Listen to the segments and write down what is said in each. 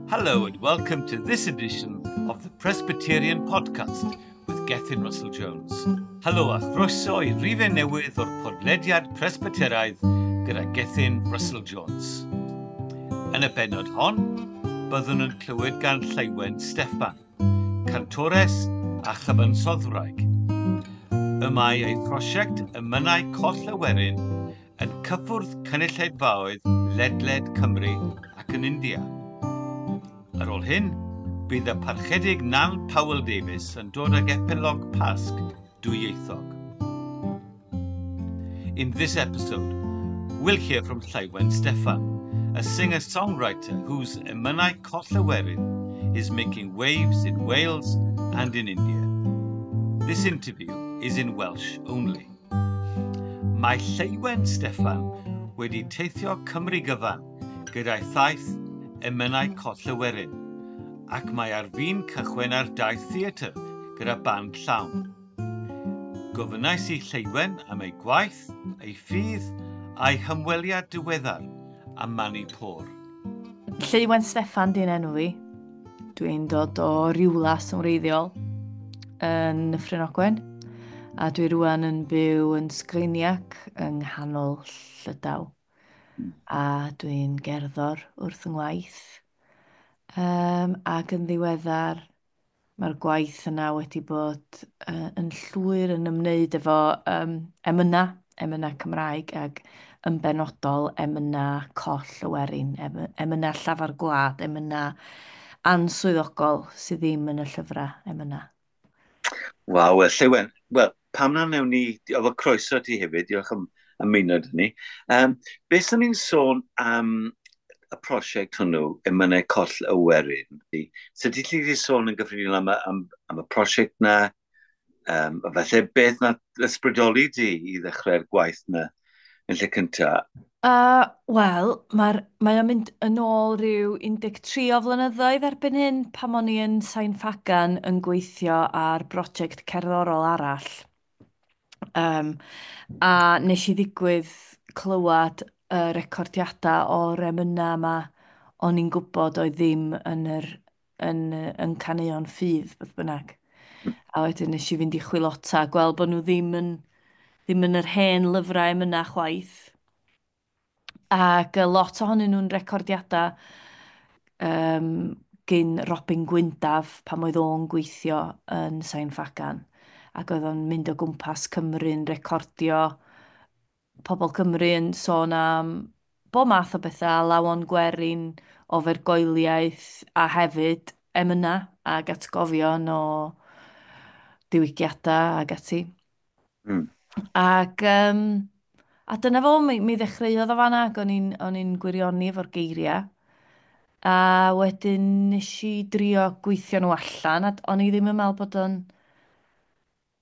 Hello and welcome to this edition of the Presbyterian Podcast with Gethin Russell Jones. Helo a chroeso i rifyn newydd o'r podlediad Presbyteraidd gyda Gethin Russell Jones. Yn y bennod hon, byddwn yn clywed gan Lleuwen Steffan, cantores a chyfansoddwraig. Y mae ei phrosiect Emynau Coll y Werin yn cyffwrdd cynulleidfaoedd ledled Cymru ac yn India. Ar ôl hyn, bydd y Parchedig Nan Powell Davies yn dod ag epilog Pasg dwyieithog. In this episode, we'll hear from Lleuwen Steffan, a singer-songwriter whose Emynau Coll y Werin is making waves in Wales and in India. This interview is in Welsh only. Mae Lleuwen Steffan wedi teithio Cymru gyfan gyda'i thaith Emynau Coll y Werin, ac mae ar fin cychwyn ar daith theatr gyda band llawn. Gofynnais i Lleuwen am ei gwaith, ei ffydd a'i hymweliad diweddar â Manipur. Lleuwen Steffan di'n enw fi. Dwi'n dod o Riwlas yn wreiddiol yn Nyffryn Ogwen a dwi rwan yn byw yn Sgreiniac yng nghanol Llydaw. A dwi'n gerddor wrth yng ngwaith. Ac yn ddiweddar, mae'r gwaith yna wedi bod yn llwyr yn ymwneud efo emynau, emynau Cymraeg ac yn benodol emynau coll y werin, emynau llafar gwlad, emynau answyddogol sydd ddim yn y llyfrau emynau. Waw, wel, Lleuwen, wel, pam na wnewn ni, efo croeso ti hefyd, diolch am ymuno 'da ni. Beth sy'n ni'n sôn am y prosiect hwnnw, Emynau Coll y Werin? So ti wedi sôn yn gyffredinol am y prosiect na, a falle beth na ysbrydoli di i ddechrau'r gwaith na yn lle cyntaf? Wel, mae o'n mynd yn ôl rhyw 13 o flynyddoedd erbyn hyn, pan o'n i yn Sain Ffagan yn gweithio ar brosiect cerddorol arall. A nes i ddigwydd clywed y recordiadau o'r emynau yma o'n i'n gwybod oedd ddim yn caneuon ffydd, beth bynnag. A wedyn nes i fynd i chwilota a gweld bod nhw ddim yn yr hen lyfrau emynau chwaith. Ac lot ohonyn nhw'n recordiadau gyn Robin Gwyndaf pan oedd o'n gweithio yn Sain Ffagan. Ac oedd o'n mynd o gwmpas Cymru'n recordio pobl Cymru yn sôn am bob math o bethau, alawon gwerin, ofergoeliaeth a hefyd emynau ac atgofion o diwygiadau ac ati. Ac a dyna fo, mi ddechreuodd o fanna, ac o'n i'n gwirioni efo'r geiriau. A wedyn nes i drio gweithio nhw allan, a o'n i ddim yn meddwl bod o'n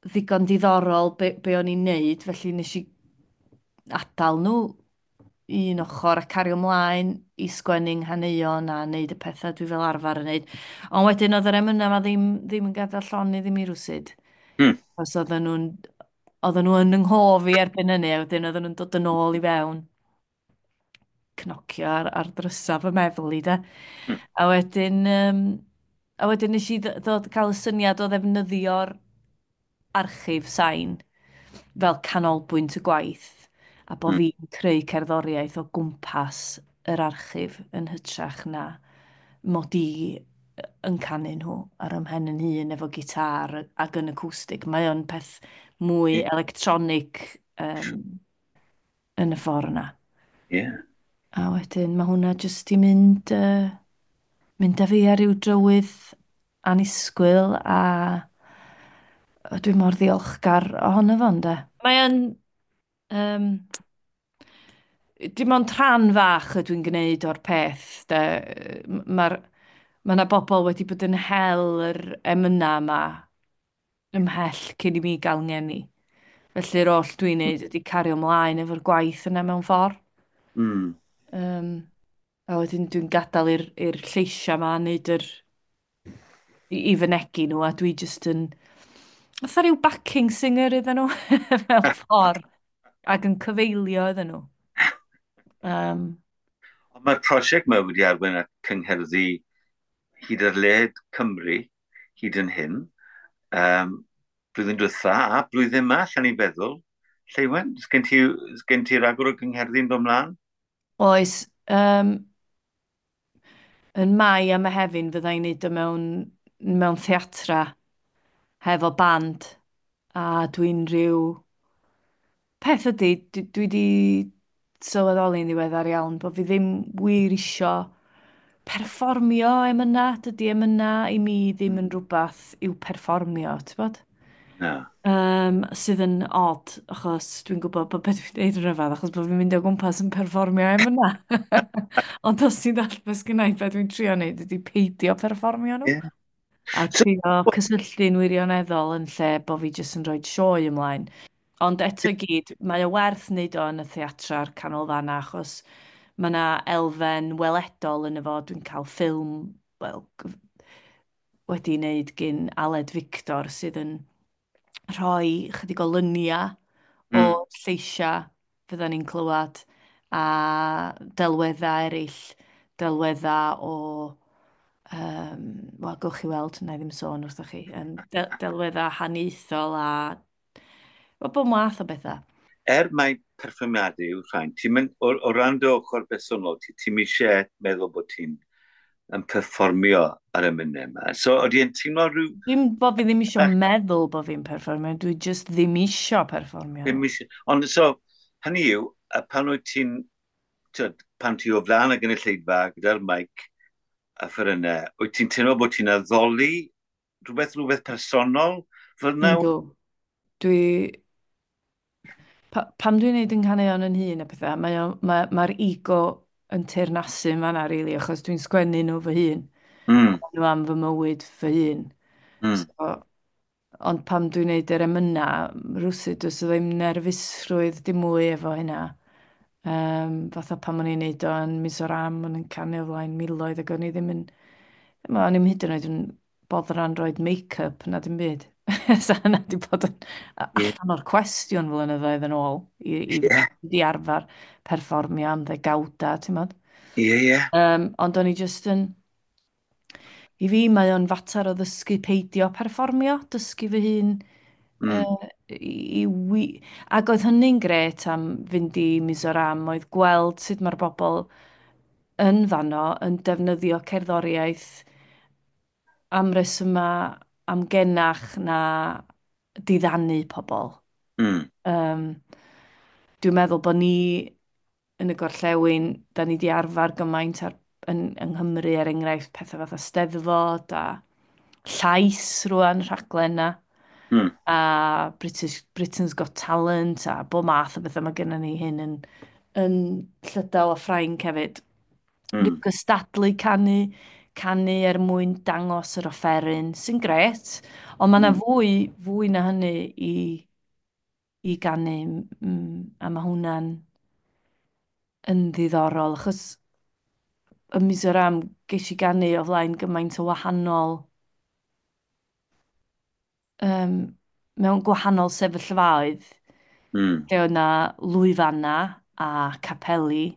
ddigon diddorol be o'n i'n neud, felly nes i adael nhw un ochr a cario ymlaen i sgwennu nghaneuon a neud y pethau dwi fel arfer yn neud. Ond wedyn oedd yr emynau yma ddim yn gadael llonydd i mi rwsut. Os oedden nhw yn yng nghof i erbyn hynny, a wedyn oedden nhw'n dod yn ôl i fewn cnocio ar ddrysau fy meddwl i, de. A wedyn nes i ddod cael y syniad o ddefnyddio'r archif sain fel canolbwynt y gwaith a bod fi'n creu cerddoriaeth o gwmpas yr archif yn hytrach na mod i yn canu nhw ar ym mhen yn hun efo gitar ac yn acoustic. Mae o'n peth mwy electronic yn y ffordd yna. A wedyn mae hwnna jyst i mynd â fi ar ryw drywydd annisgwyl a dwi mor ddiolchgar ohono fo, ynde. Mae o'n dim ond rhan fach ydw i'n gwneud o'r peth, de. Mae yna bobl wedi bod yn hel yr emynau yma ymhell cyn i mi gael ngeni. Felly'r oll dwi'n neud ydy cario ymlaen efo'r gwaith yna mewn ffordd. A wedyn dwi'n gadael i'r lleisiau yma wneud yr i fynegi nhw, a dwi jyst yn fatha rhyw backing singer iddyn nhw mewn ffordd ac yn cyfeilio iddyn nhw. Ond mae'r prosiect yma wedi arwain at cyngherddau hyd ar led Cymru, hyd yn hyn. Blwyddyn diwetha a blwyddyn yma, allan ni'n feddwl. Lleuwen, sgen ti ragor o gyngherddau'n dod mlaen? Oes, yn Mai a Mehefin fydda i'n neud o mewn theatra hefo band a dwi'n rhyw... Peth ydy, dwi wedi sylweddoli'n ddiweddar iawn bod fi ddim wir isio perfformio emyna. Dydy emyna i mi ddim yn rhywbeth i'w perfformio, ti'n bod? Na. Sydd yn odd, achos dwi'n gwybod bod beth dwi'n gwneud yn rhyfedd, achos bod fi'n mynd o gwmpas yn perfformio emyna. Ond os ti'n ddall beth sgynna i, beth dwi'n trio wneud ydy peidio perfformio nhw. A So, trio cysylltu'n wirioneddol yn lle bod fi jyst yn rhoi sioe ymlaen. Ond eto i gyd, mae o werth wneud o yn y theatra'r a'r canolfanna, achos mae yna elfen weledol yn y fo. Dwi'n cael ffilm, wel, wedi wneud gyn Aled Victor sydd yn rhoi chydig o luniau o lleisiau fyddan ni'n clywed a delweddau eraill, delweddau o, wel, gewch chi weld, wna i ddim sôn wrthoch chi, delweddau haniaethol a wel, bob math o bethau. Er mai perfformiadau yw rhain, ti'n mynd, o ran dy ochr bersonol, ti'n eisiau meddwl bod ti'n yn perfformio ar y munud yma. So, oeddi yn teimlo rhyw... Dim bod fi ddim eisiau meddwl bod fi'n perfformio, dwi just ddim eisiau perfformio. Ddim eisiau. Ond so, hynny yw, a pan wyt ti'n, tyd, pan ti o flaen y gynulleidfa gyda'r mic a fferynnau, wyt ti'n teimlo bod ti'n addoli rhywbeth personol fel yna? Yndw. Dwi... Pam dwi'n neud yng nghaneuon yn hun a pethau, mae'r ego yn teyrnasu yn fan'na, rili, achos dwi'n sgwennu nhw fy hun. Nhw am fy mywyd fy hun. So, ond pam dwi'n neud yr emyna, rywsut, does o ddim nerfusrwydd dim mwy efo hynna. Fatha pan o'n i'n neud o yn Mizoram, o'n i'n canu o flaen miloedd, ac o'n i ddim yn... O'n i'm hyd yn oed yn boddran roed make-up na dim byd. Sa hynna 'di bod yn allan o'r cwestiwn flynyddoedd yn ôl i i arfer perfformio am ddegawda, ti'n modd? Ie, ie. Ond o'n i jyst yn... I fi, mae o'n fater o ddysgu peidio perfformio, dysgu fy hun, ac oedd hynny'n grêt am fynd i Mizoram, oedd gweld sut mae'r bobl yn fanno yn defnyddio cerddoriaeth am resymau amgenach na diddanu pobl. Dwi'n meddwl bod ni yn y gorllewin, da ni di arfer gymaint yng Nghymru, er enghraifft, pethau fatha Steddfod a Llais rŵan, rhaglen na, a Britain's Got Talent a bob math o bethau. Mae gennym ni hyn yn Llydaw a Ffrainc hefyd. Rhyw gystadlu canu, canu er mwyn dangos yr offeryn, sy'n grêt, ond mae yna fwy na hynny i ganu, a mae hwnna'n yn ddiddorol, achos ym Mizoram ges i ganu o flaen gymaint o wahanol, mewn gwahanol sefyllfaoedd, lle oedd 'na lwyfanna a capeli,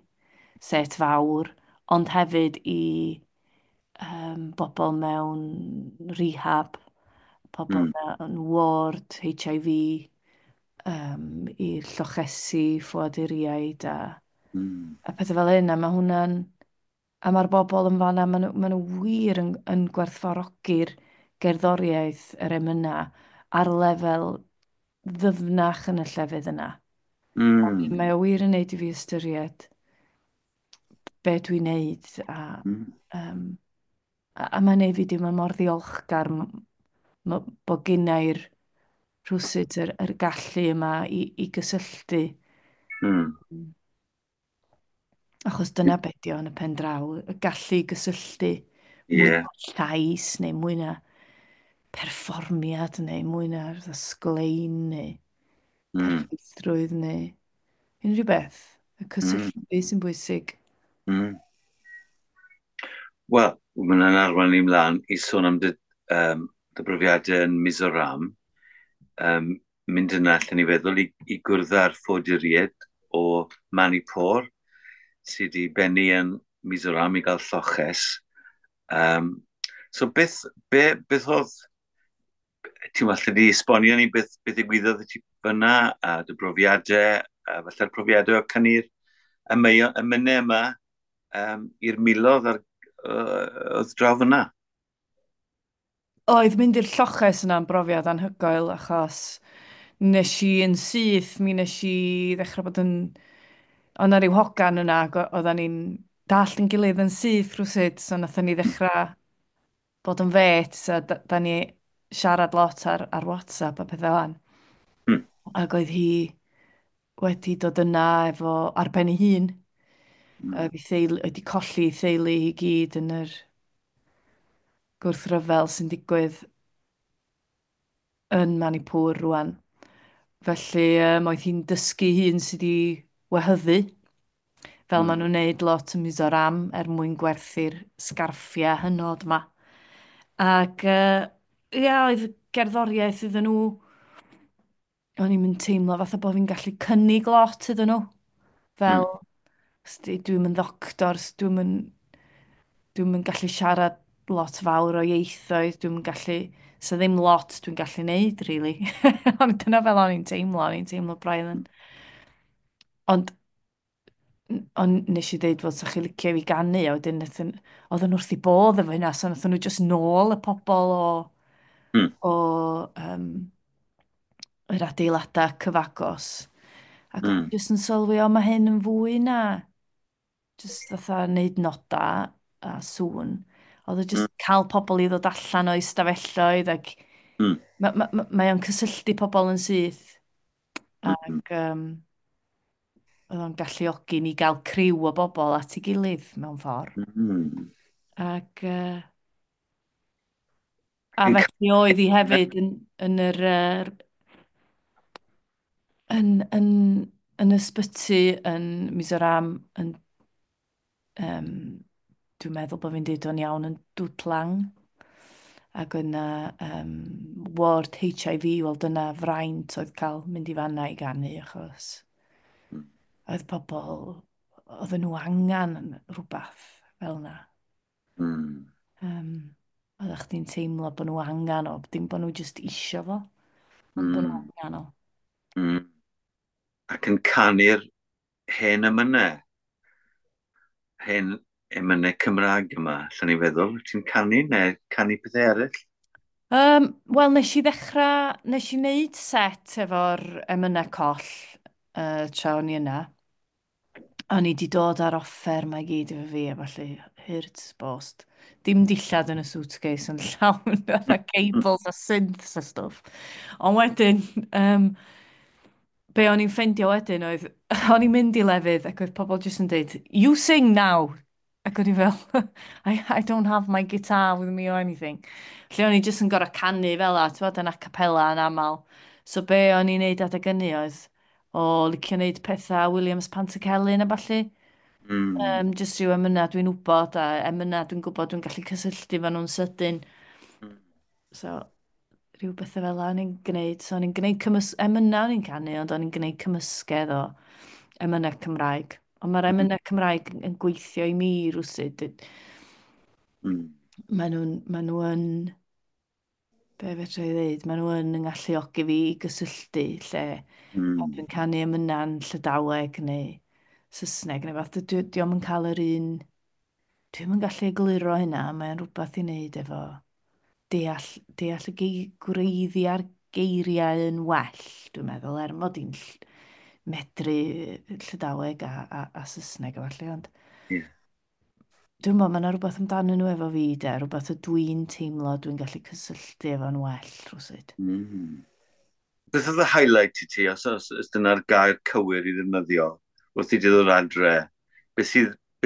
set fawr, ond hefyd i bobl mewn rehab, pobl mewn ward, HIV, i'r llochesi, ffoaduriaid a pethau fel hyn, a mae hwnna'n... A mae'r bobl yn fan'na, ma nhw wir yn gwerthfawrogi'r gerddoriaeth, yr emyna, ar lefel ddyfnach yn y llefydd yna. Mae o wir yn neud i fi ystyried be dwi'n neud, a mae'n neud fi deimlo mor ddiolchgar bod gennai'r rhywsut yr gallu yma i gysylltu. Achos dyna be 'di o yn y pen draw, y gallu i gysylltu mwy na llais neu mwy na perfformiad neu mwy na sglein neu perffeithrwydd neu unrhyw beth. Y cysylltu sy'n bwysig. Wel, mae hwnna'n arwain ni mlaen i sôn am dy brofiadau yn Mizoram. Mynd yna, allan ni feddwl, i gwrdd â'r ffoaduriaid o Manipur, sydd wedi bennu yn Mizoram i gael lloches. So beth, beth oedd, ti'n falle di esbonio ni beth ddigwyddodd i ti fyna, a dy brofiadau, a falle'r profiadau o cynnu'r emynau yma i'r miloedd oedd draw fyna? Oedd mynd i'r lloches yna'n brofiad anhygoel, achos nes i yn syth, mi nes i ddechrau bod yn... Oedd 'na ryw hogan yna, ac oeddan ni'n dallt yn gilydd yn syth rhywsut, so nathon ni ddechrau bod yn fêts, a da ni siarad lot ar WhatsApp a pethau fan. Ac oedd hi wedi dod yna efo ar ben ei hun. Oedd ei theulu, wedi colli ei theulu i gyd yn yr gwrthryfel sy'n digwydd yn Manipur rwan. Felly oedd hi'n dysgu hun sydd wedi wehyddu, fel maen nhw'n neud lot yn Mizoram er mwyn gwerthu'r sgarffiau hynod ma. Ac ia, oedd gerddoriaeth iddyn nhw, o'n i'n mynd teimlo fatha bod fi'n gallu cynnig lot iddyn nhw. Fel, dwi'm yn ddoctor, dwi'm yn gallu siarad lot fawr o ieithoedd, dwi'm yn gallu, so ddim lot dwi'n gallu neud, really. Ond dyna fel o'n i'n teimlo, o'n i'n teimlo braidd yn... Ond nes i ddeud fod sa chi licio i fi ganu, a wedyn oedden nhw wrth i bodd efo hynna, so nathon nhw jyst nôl y pobol o yr adeiladau cyfagos. Ac o'n i jyst yn sylwi, o, mae hyn yn fwy na jyst fatha neud noda a sŵn. Oedd o jyst cael pobol i ddod allan o'i stafelloedd ac mae o'n cysylltu pobol yn syth. Ac oedd o'n galluogi ni gael criw o bobol at ei gilydd mewn ffordd. Ac a felly oedd hi hefyd yn yr yn ysbyty yn Mizoram, yn, dwi'n meddwl bod fi'n deud o'n iawn, yn Dutlang. Ac yna ward HIV, wel dyna fraint oedd cael mynd i fanna i ganu, achos oedd pobl, oedden nhw angen rhywbeth fel yna. Oeddech chdi'n teimlo bod nhw angen o, dim bod nhw jyst isio fo, ond bod nhw angen o. Ac yn canu'r hen emynau, hen emynau Cymraeg yma, allan ni feddwl, ti'n canu neu canu pethau eraill? Wel, nes i ddechrau, nes i wneud set efo'r emynau coll tra o'n i yna. O'n i di dod ar offer mae gyd efo fi, a falle hurt bost. Dim dillad yn y suitcase yn llawn, fatha cables a synths a stwff. Ond wedyn, be o'n i'n ffeindio wedyn oedd, o'n i'n mynd i lefydd ac oedd pobl jyst yn deud, you sing now! Ac o'n i fel, I don't have my guitar with me or anything. Lle o'n i jyst yn gorfod canu fel 'a, t'mod, yn a cappella yn aml. So be o'n i'n neud adeg hynny oedd, o licio neud pethau Williams Pantycelyn a ballu. Jyst rhyw emynau dwi'n wybod, a emynau dwi'n gwybod dwi'n gallu cysylltu efo nhw'n sydyn. So, rhyw bethau fel 'na o'n i'n gwneud. So, o'n i'n gwneud emynau o'n i'n canu, ond o'n i'n gwneud cymysgedd o emynau Cymraeg. Ond mae'r emynau Cymraeg yn gweithio i mi rywsut. Maen nhw yn, be fedra i ddeud, maen nhw yn ngalluogi fi i gysylltu lle pan dwi'n canu emynau'n Llydaweg neu Saesneg neu fath, dio'm yn cael yr un, dwi'm yn gallu egluro hynna, mae'n rhywbeth i wneud efo deall y gwreiddiau'r geiriau yn well, dwi'n meddwl, er mod i'n medru Llydaweg a Saesneg a falle, ond dwi'n meddwl, mae yna rhywbeth amdanyn nhw efo fi, de, rhywbeth y dwi'n teimlo dwi'n gallu cysylltu efo'n well, rhywsut. Beth oedd y highlight i ti, os dyna'r gair cywir i ddefnyddio, wrth i ti ddod adre, beth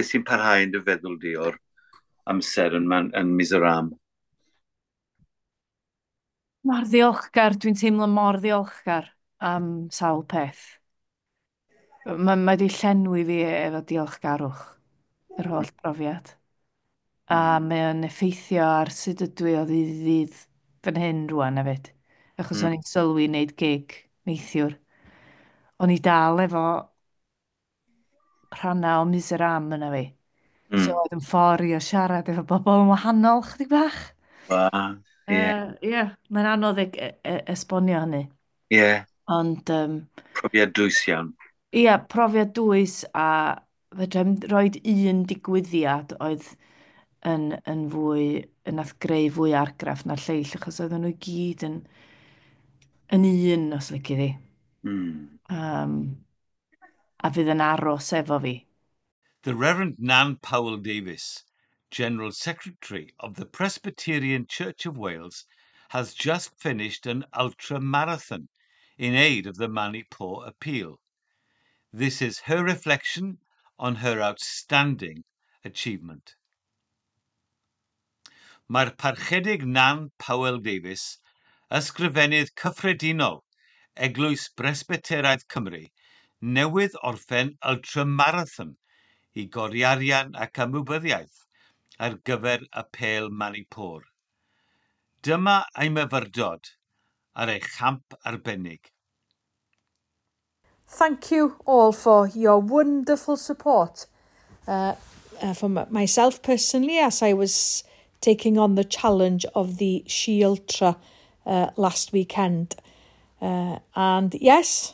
sy'n parhau yn dy feddwl di o'r amser yn Mizoram? Mor ddiolchgar, dwi'n teimlo mor ddiolchgar am sawl peth. Mae di llenwi fi efo diolchgarwch, yr holl brofiad. A mae o'n effeithio ar sut ydw i o ddydd i ddydd fan hyn rŵan hefyd. Achos o'n i'n sylwi wneud gig neithiwr. O'n i dal efo rhannau o Mizoram yna fi. So oedd yn ffordd i o siarad efo bobl yn wahanol chydig bach. Wow, yeah. Yeah, mae'n anodd esbonio hynny. Yeah. Ond profiad dwys iawn. Ia, yeah, profiad dwys, a fedrai'm roid un digwyddiad oedd yn fwy, yn nath greu fwy argraff na'r lleill, achos oedden nhw i gyd yn un, os lici di. A fydd yn aros efo fi. The Reverend Nan Powell Davies, General Secretary of the Presbyterian Church of Wales, has just finished an ultra-marathon in aid of the Manipur appeal. This is her reflection on her outstanding achievement. Mae'r Parchedig Nan Powell Davies, Ysgrifennydd Cyffredinol Eglwys Bresbyteraidd Cymru, newydd orffen ultramarathon i godi arian ac ymwybyddiaeth ar gyfer apêl Manipur. Dyma ei myfyrdod ar ei champ arbennig. Thank you all for your wonderful support. For myself personally, as I was taking on the challenge of the She Ultra last weekend. And yes,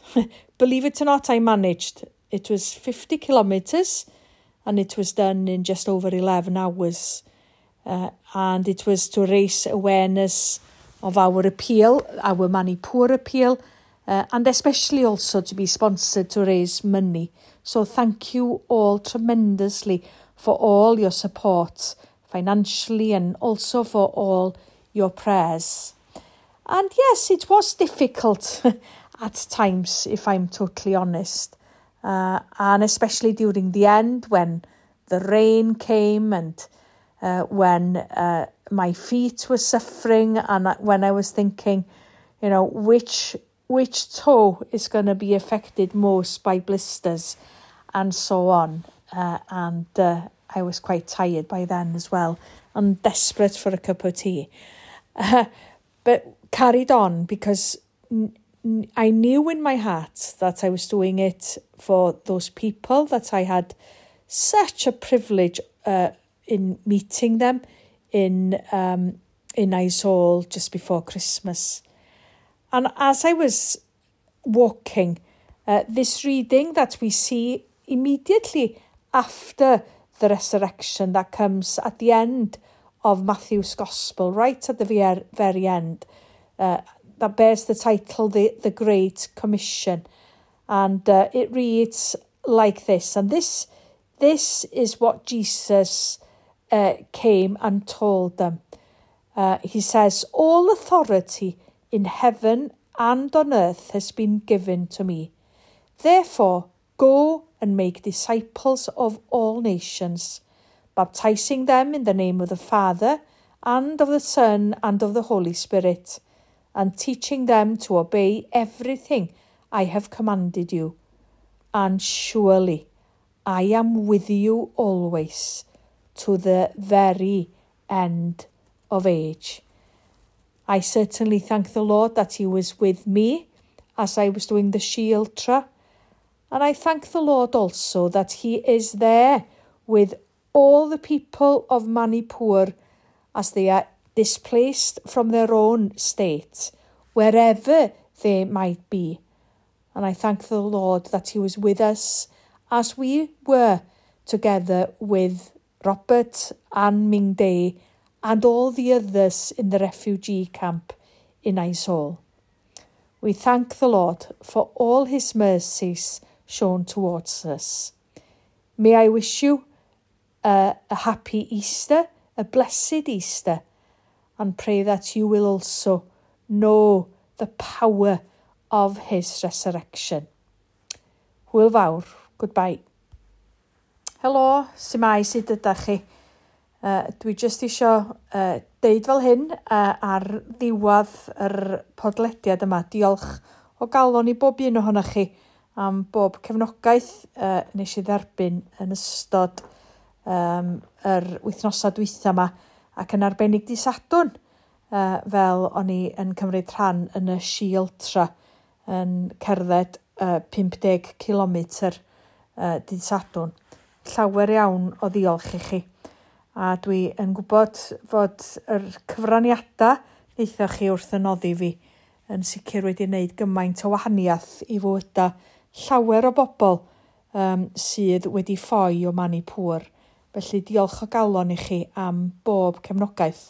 believe it or not, I managed. It was 50 kilometres and it was done in just over 11 hours. And it was to raise awareness of our appeal, our Manipur appeal, and especially also to be sponsored to raise money. So thank you all tremendously for all your support financially and also for all your prayers. And yes, it was difficult at times, if I'm totally honest. And especially during the end when the rain came and when my feet were suffering and when I was thinking, you know, which toe is going to be affected most by blisters and so on. And I was quite tired by then as well and desperate for a cup of tea. But carried on because I knew in my heart that I was doing it for those people that I had such a privilege in meeting them in Aizawl just before Christmas. And as I was walking, this reading that we see immediately after the resurrection that comes at the end of Matthew's Gospel, right at the very end, that bears the title, the Great Commission. And it reads like this. And this is what Jesus came and told them. He says, "All authority in heaven and on earth has been given to me. Therefore, go and make disciples of all nations, baptizing them in the name of the Father and of the Son and of the Holy Spirit, and teaching them to obey everything I have commanded you. And surely I am with you always, to the very end of age." I certainly thank the Lord that he was with me as I was doing the She Ultra. And I thank the Lord also that he is there with all the people of Manipur as they are displaced from their own state, wherever they might be. And I thank the Lord that he was with us as we were together with Robert and Ming Day and all the others in the refugee camp in Aizawl. We thank the Lord for all his mercies shown towards us. May I wish you a happy Easter, a blessed Easter, and pray that you will also know the power of his resurrection. Hwyl fawr. Goodbye. Helo, su'mai, sut ydach chi? Dwi jyst isio deud fel hyn ar ddiwedd yr podlediad yma. Diolch o galon i bob un ohonoch chi am bob cefnogaeth nes i dderbyn yn ystod yr wythnosau dwytha yma, ac yn arbennig dydd Sadwrn, fel o'n i yn cymryd rhan yn y She Ultra yn cerdded 50 kilometr dydd Sadwrn. Llawer iawn o ddiolch i chi. A dwi yn gwybod fod yr cyfraniadau wnaethoch chi wrth y noddi fi yn sicr wedi wneud gymaint o wahaniaeth i fywydau llawer o bobl sydd wedi ffoi o Manipur. Felly diolch o galon i chi am bob cefnogaeth.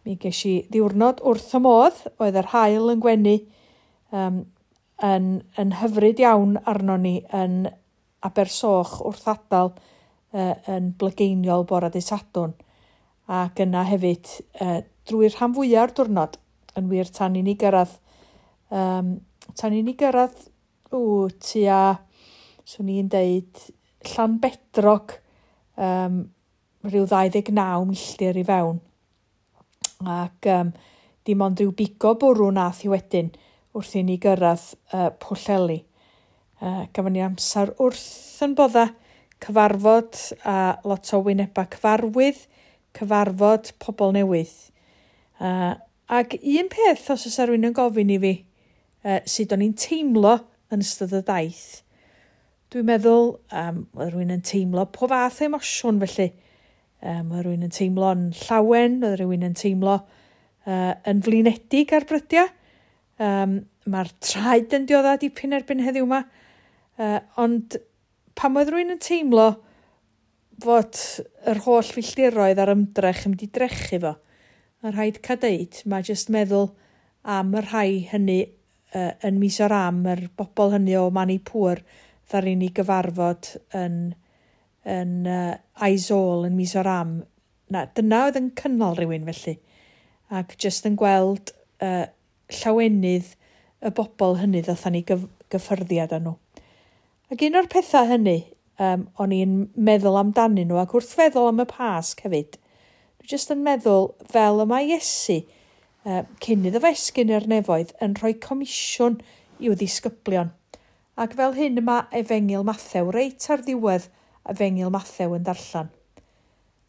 Mi ges i ddiwrnod wrth y modd, oedd yr haul yn gwenu yn hyfryd iawn arno ni yn Abersoch wrth adael yn blygeiniol bore dydd Sadwrn. Ac yna hefyd drwy'r rhan fwyaf o'r diwrnod, yn wir tan i ni gyrraedd, tua, swn i'n deud, Llanbedrog, rhyw 29 milltir i fewn. Ac dim ond rhyw bigo bwrw nath i wedyn wrth i ni gyrraedd Pwllheli. Gafon ni amser wrth yn bodda, cyfarfod a lot o wynebau cyfarwydd, cyfarfod pobl newydd. Ac un peth, os oes rhywun yn gofyn i fi, sut o'n i'n teimlo yn ystod y daith, dwi'n meddwl, oedd rhywun yn teimlo po fath o emosiwn felly. Oedd rhywun yn teimlo'n llawen, oedd rhywun yn teimlo yn flinedig ar brydiau. Mae'r traed yn diodda dipyn erbyn heddiw yma. Ond pan oedd rhywun yn teimlo fod yr holl filltiroedd a'r ymdrech yn mynd i drechu fo, mae rhaid cael deud, mae jyst meddwl am y rhai hynny yn Mizoram, yr bobl hynny o Manipur, ddaru ni gyfarfod yn Aizawl yn Mizoram. Na, dyna oedd yn cynnal rhywun felly. Ac jyst yn gweld llawenydd y bobl hynny ddathan ni gyffyrddiad â nhw. Ac un o'r pethau hynny, o'n i'n meddwl amdanyn nhw, ac wrth feddwl am y Pasg hefyd, dwi jyst yn meddwl fel y mae Iesu, cyn iddo fe esgyn i'r nefoedd, yn rhoi comisiwn i'w ddisgyblion. Ac fel hyn mae Efengyl Mathew, reit ar ddiwedd Efengyl Mathew yn darllen.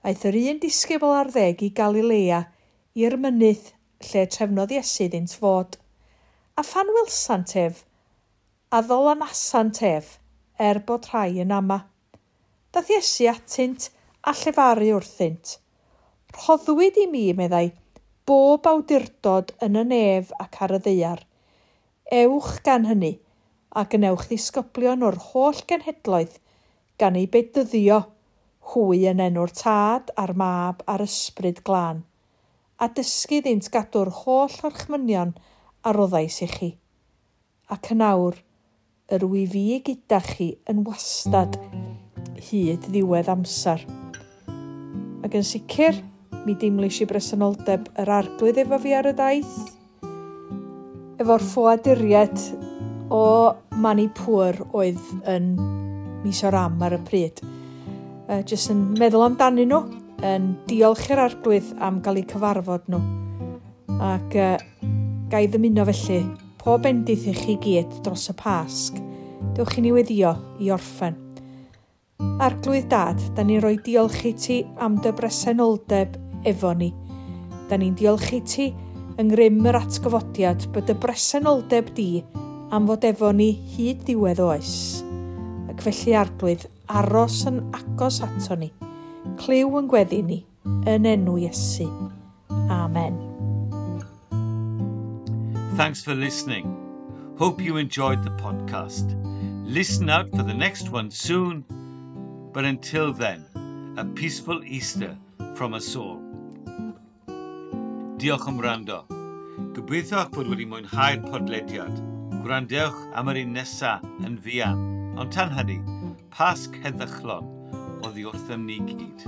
Aeth yr un disgybl ar ddeg i Galilea i'r mynydd lle trefnodd Iesu iddynt fod. A phan welsant ef, a ddolanasant ef, er bod rhai yn ama. Daeth Iesu atynt a llefaru wrthynt. Rhoddwyd i mi, meddai, bob awdurdod yn y nef ac ar y ddaear. Ewch gan hynny, a gwnewch ddisgyblion o'r holl genhedloedd, gan eu bedyddio, hwy yn enw'r Tad a'r Mab a'r Ysbryd Glân, a dysgu iddynt gadw'r holl orchmynion a roddais i chi. Ac yn awr, yr wyf fi gyda chi yn wastad hyd ddiwedd amser. Ac yn sicr, mi deimlais i bresenoldeb yr Arglwydd efo fi ar y daith, efo'r ffoaduriaid o Manipur oedd yn Mizoram ar y pryd. Jyst yn meddwl amdanyn nhw, yn diolch i'r Arglwydd am gael eu cyfarfod nhw. Ac ga i ddymuno felly, pob bendith i chi gyd dros y Pasg. Dewch i ni weddio i orffen. Arglwydd Dad, da ni'n rhoi diolch i ti am dy bresenoldeb efo ni. Da ni'n diolch i ti yng ngrym yr atgyfodiad bod y bresenoldeb di am fod efo ni hyd ddiwedd oes. Ac felly Arglwydd, aros yn agos ato ni. Clyw yn gweddi ni, yn enw Iesu. Amen. Thanks for listening. Hope you enjoyed the podcast. Listen out for the next one soon. But until then, a peaceful Easter from us all. Diolch am wrando. Gobeithio eich bod wedi mwynhau'r podlediad. Gwrandewch am yr un nesaf yn fuan. Ond tan hynny, Pasg heddychlon oddi wrthym ni gyd.